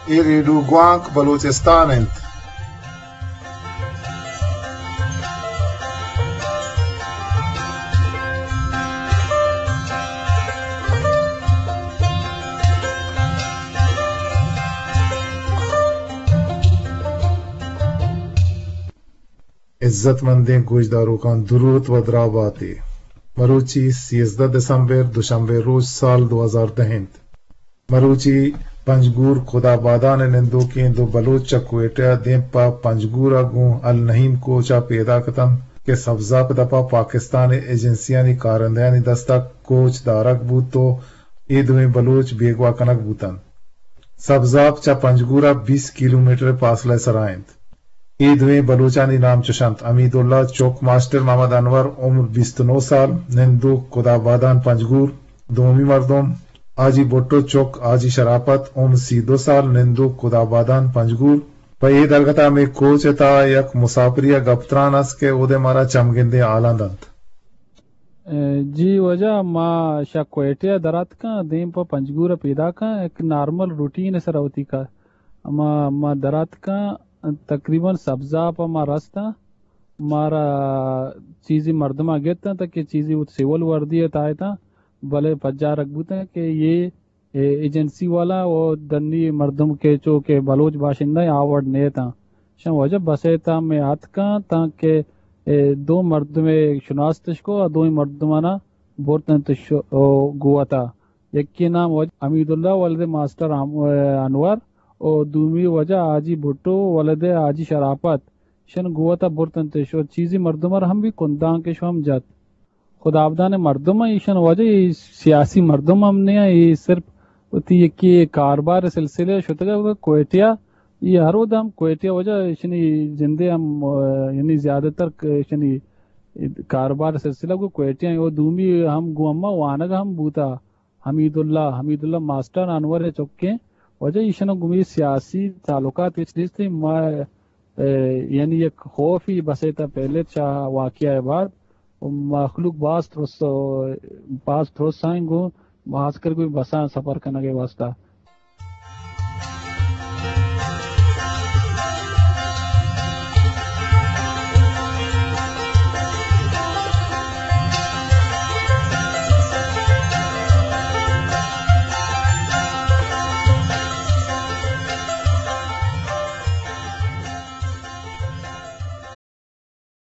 اے ریڈیو گوانک بلوچستان انت۔ عزت مندیں گوشداروکاں دروت و دراہ باتے۔ مروچی سیزدہ دسمبر، دوشنبے روچ، سال دو ہزار دہ انت۔ مروچی پنجگور خدا بادان ء نندوکیں دو بلوچ چہ کوئٹہ ء دیم پہ پنجگور ء گوں النعیم کوچ ء پیداک اتنت کہ سبزاپ دپ ء پاکستان ء ایجنسیانی کارندہانی دست ء کوچ دارگ بوت و اے دوئیں بلوچ بیگواہ کنگ بوتنت۔ سبزاپ چہ پنجگور ء بیست کیلومیٹر ء پاسلہ ء سرا انت۔ اے دوئیں بلوچانی نام چش انت: حمید اللہ چک ماسٹر محمد انور، عمر بیست و نو سال، نندوک خدا بادان پنجگور۔ دومی مردم حاجی بھٹو چک حاجی شرافت، عمر سی و دو سال، نندوک خدا بادان پنجگور۔ پہ اے درگت ء ہمے کوچ ء تہا یک مساپری ء گپتران است کہ اود ء مارا چمگندیں حالاں دنت۔ جی واجہ، ما شہ کوئٹہ ء دراتکاں، دیم پہ پنجگور ء پیداکاں، یک نارمل روٹین ء سرا وتی کار۔ ما، ما دراتکاں، تقریباً سبزاپ ء ما رستاں، مارا چیزی مردماں گپتاں تاں کہ چیزی وت سول وردی ء تائیتاں، بلے پجارگ بوتاں کہ یہ اے ایجنسی والا و دنی مردم کہ چو کہ بلوچ باشندہ آ وڑ نیتاں۔ شان واجہ بس ء تاں میں آتکاں تاں کہ اے دو مردم شناستش کو، آ دوئیں مردمانا برتنت شو-، او گوتا۔ یکی نام واجہ حمید اللہ ولد ماسٹر ہم-، انور و دومی واجہ حاجی بھٹو ولد حاجی شرافت۔ شن گوتا برتنت شو چیزی مردم ہم بھی کنداں کہ شو ہم جات۔ خدابدان مردم ایں، ایشان واجہ اے سیاسی مردم ہم نہ ایں، اے صرف وتی یکے کاربار سلسلہ شتگ ء کوئٹہ ء، اے ہر وھد ہم کوئٹہ ء واجہ ایشانی جندے ہم، آ، یعنی زیادہ تر ک-، ایشانی کاربار سلسلہ گوں کوئٹہ ء ایں۔ او دومی ہم گوں اما وانگ ہم بوتا، حمید اللہ، حمید اللہ ماسٹر انور ء چکیں۔ واجہ ایشان گوں اے سیاسی تعلقات ہچ نیست ایں۔ ما اے، یعنی یک خوفی بس ء تہ پہلے چہ واقعہ ء بعد و مخلوق باز ترس، باز ترس آئیں گوں، خاص کر گوں بساں سفر کنگ ء واسطہ۔